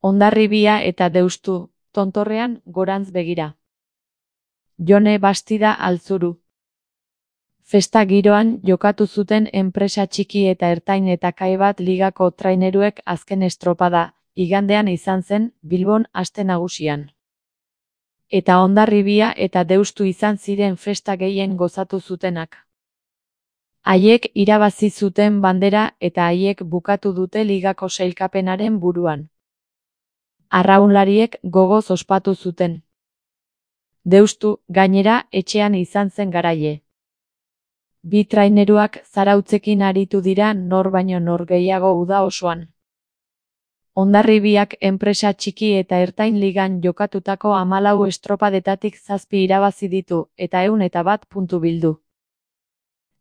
Hondarribia eta Deustu, tontorrean gorantz begira. Jone Bastida Altzuru. Festa giroan jokatu zuten enpresa txiki eta ertain eta Kae Bat ligako traineruek azken estropada, igandean izan zen, Bilbon aste nagusian. Eta Hondarribia eta Deustu izan ziren festa gehien gozatu zutenak. Haiek irabazi zuten bandera eta haiek bukatu dute ligako sailkapenaren buruan. Arraunlariek gogoz ospatu zuten. Deustu, gainera, etxean izan zen garaile. Bi traineruak zarautzekin aritu dira nor baino nor gehiago uda osoan. Hondarribiak enpresa txiki eta ertain ligan jokatutako 14 estropadetatik 7 irabazi ditu eta 101 puntu bildu.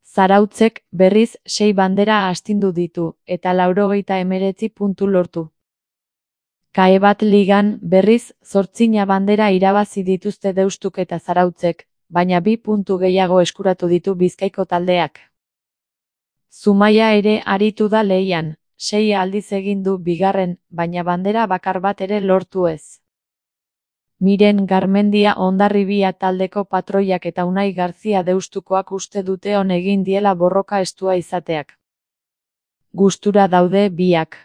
Zarautzek, berriz, 6 bandera astindu ditu eta 99 puntu lortu. Kae Bat ligan, berriz, 8 bandera irabazi dituzte Deustuk eta Zarautzek, baina 2 puntu gehiago eskuratu ditu Bizkaiko taldeak. Zumaia ere aritu da lehian, 6 aldiz egin du bigarren, baina bandera bakar bat ere lortu ez. Miren Garmendia Hondarribia taldeko patroiak eta Unai Garzia Deustukoak uste dute on egin diela borroka estua izateak. Gustura daude biak.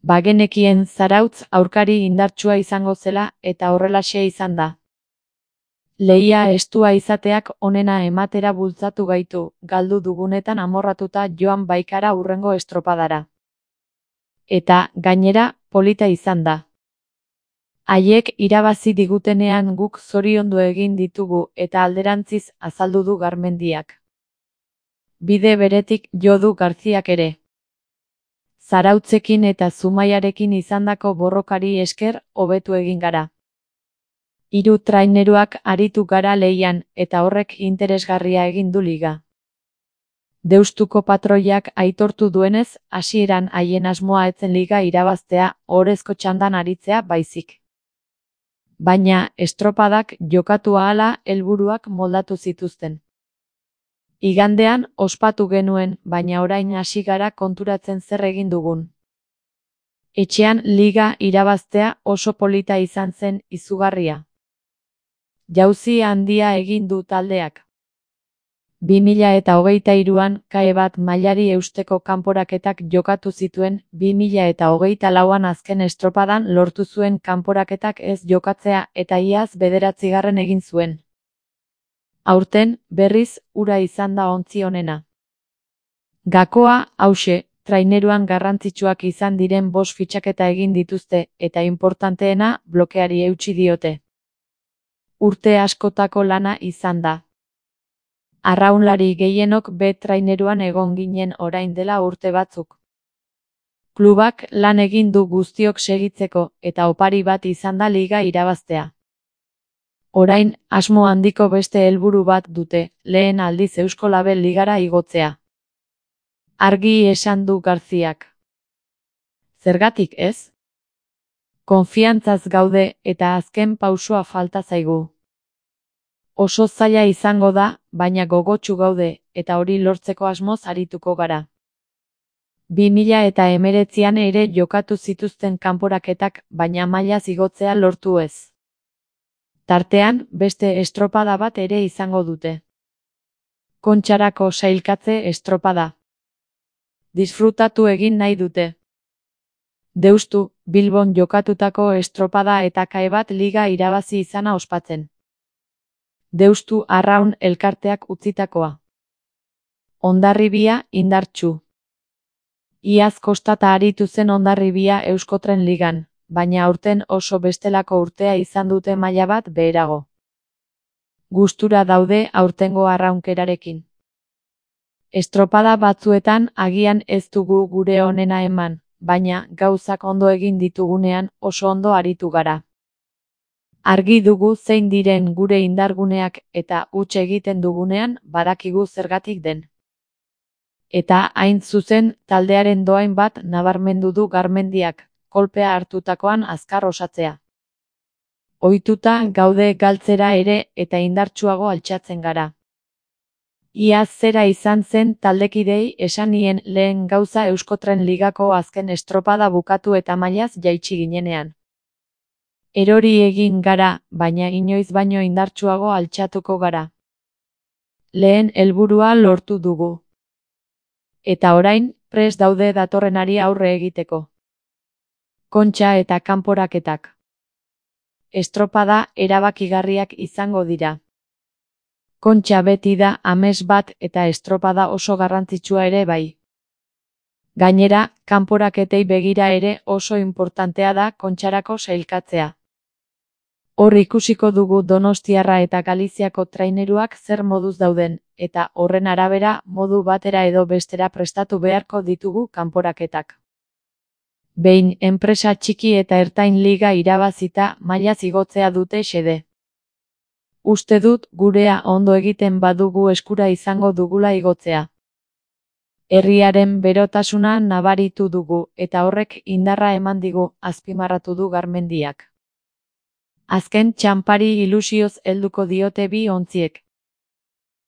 Bagenekien Zarautz aurkari indartsua izango zela eta horrelaxe izan da. Lehia estua izateak onena ematera bultzatu gaitu, galdu dugunetan amorratuta joan baikara hurrengo estropadara. Eta, gainera, polita izan da. Haiek irabazi digutenean guk zoriondu egin ditugu eta alderantziz azaldu du Garmendiak. Bide beretik jo du Garziak ere. Zarautzekin eta Zumaiarekin izandako borrokari esker hobetu egin gara. 3 traineruak aritu gara lehian eta horrek interesgarria egin du liga. Deustuko patroiak aitortu duenez, hasieran haien asmoa etzen liga irabaztea, ohorezko txandan aritzea baizik. Baina, estropadak jokatu ahala helburuak moldatu zituzten. Igandean ospatu genuen, baina orain hasi gara konturatzen zer egin dugun. Etxean liga irabaztea oso polita izan zen izugarria. Jauzi handia egin du taldeak. 2023an Kae Bat mailari eusteko kanporaketak jokatu zituen, 2024an azken estropadan lortu zuen kanporaketak ez jokatzea eta iaz 9. egin zuen. Aurten, berriz, hura izan da ontzi onena. Gakoa, hauxe, traineruan garrantzitsuak izan diren 5 fitxaketa egin dituzte eta inportanteena blokeari eutsi diote. Urte askotako lana izan da. Arraunlari gehienok B traineruan egon ginen orain dela urte batzuk. Klubak lan egin du guztiok segitzeko eta opari bat izan da liga irabaztea. Orain, asmo handiko beste helburu bat dute, lehen aldiz Eusko Label ligara igotzea. Argi esan du Garziak. Zergatik ez? Konfiantzaz gaude eta azken pausoa falta zaigu. Oso zaila izango da, baina gogotsu gaude, eta hori lortzeko asmoz arituko gara. 2019an ere jokatu zituzten kanporaketak, baina mailaz igotzea lortu ez. Tartean, beste estropada bat ere izango dute. Kontxarako sailkatze estropada. Disfrutatu egin nahi dute. Deustu, Bilbon jokatutako estropada eta Kae Bat liga irabazi izana ospatzen. Deustu Arraun elkarteak utzitakoa. Hondarribia indartsu. Iaz kostata aritu zen Hondarribia Euskotren ligan, baina aurten oso bestelako urtea izan dute maila bat beherago. Gustura daude aurtengo arraunkerarekin. Estropada batzuetan agian ez dugu gure onena eman, baina gauzak ondo egin ditugunean oso ondo aritu gara. Argi dugu zein diren gure indarguneak eta huts egiten dugunean badakigu zergatik den. Eta hain zuzen taldearen dohain bat nabarmendu du Garmendiak, kolpea hartutakoan azkar osatzea. Ohituta gaude galtzera ere eta indartsuago altxatzen gara. Iaz zera izan zen taldekidei esan nien lehen gauza Euskotren Ligako azken estropada bukatu eta mailaz jaitsi ginenean. Erori egin gara, baina inoiz baino indartsuago altxatuko gara. Lehen helburua lortu dugu. Eta orain, prest daude datorrenari aurre egiteko. Kontxa eta kanporaketak. Estropada erabakigarriak izango dira. Kontxa beti da ames bat eta estropada oso garrantzitsua ere bai. Gainera, kanporaketei begira ere oso importantea da kontxarako sailkatzea. Hor ikusiko dugu Donostiarra eta Galiziako traineruak zer moduz dauden, eta horren arabera modu batera edo bestera prestatu beharko ditugu kanporaketak. Behin enpresa txiki eta ertain liga irabazita mailaz igotzea dute xede. Uste dut gurea ondo egiten badugu eskura izango dugula igotzea. Herriaren berotasuna nabaritu dugu eta horrek indarra eman digu, azpimarratu du Garmendiak. Azken txanpari ilusioz helduko diote bi ontziek.